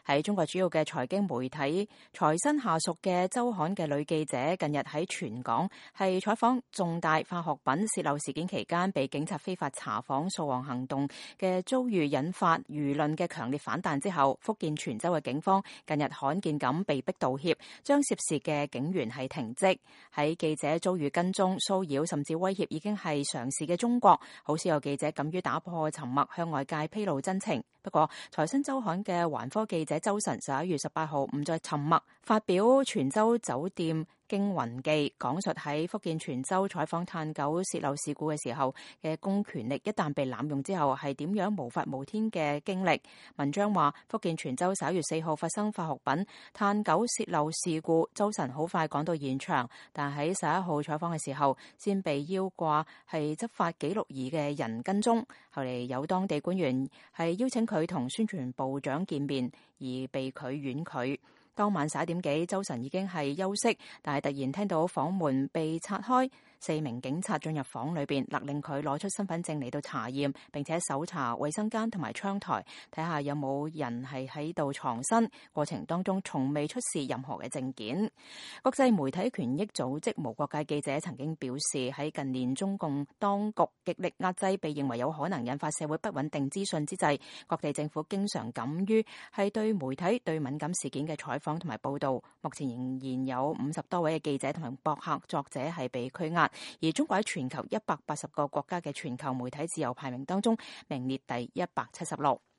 喺中國主要嘅財經媒體財新下屬嘅週刊嘅女記者，近日喺全港係採訪重大化學品洩漏事件期間，被警察非法查訪掃黃行動嘅遭遇，引發輿論嘅強烈反彈之後，福建泉州嘅警方近日罕見咁被逼道歉，將涉事嘅警員係停職。喺記者遭遇跟蹤、騷擾甚至威脅已經係常事嘅中國，好少有記者敢於打破沉默，向外界披露真情。不過，財新週刊嘅環科記者周晨11月18號唔再沉默，發表泉州酒店驚魂記，講述喺福建泉州採訪炭九洩漏事故嘅時候嘅公權力一旦被濫用之後係點樣無法無天嘅經歷。文章話，福建泉州11月4號發生化學品炭九洩漏事故，周晨好快趕到現場，但喺11號採訪嘅時候先被腰掛係執法記錄儀嘅人跟蹤，後嚟有當地官員係邀請佢同宣傳部長見面，而被佢婉拒。當晚11點幾，周晨已經係休息，但係突然聽到房門被拆開，4名警察進入房裏邊，勒令佢攞出身份證嚟到查驗，並且搜查衛生間同埋窗台，睇下有冇人係喺度藏身。過程當中從未出示任何嘅證件。國際媒體權益組織無國界記者曾經表示，喺近年中共當局極力壓制被認為有可能引發社會不穩定資訊之際，各地政府經常敢於係對媒體對敏感事件嘅採訪同埋報道。目前仍然有50多位嘅記者同埋博客作者係被拘押，而中國喺全球180個國家嘅全球媒體自由排名當中名列第176。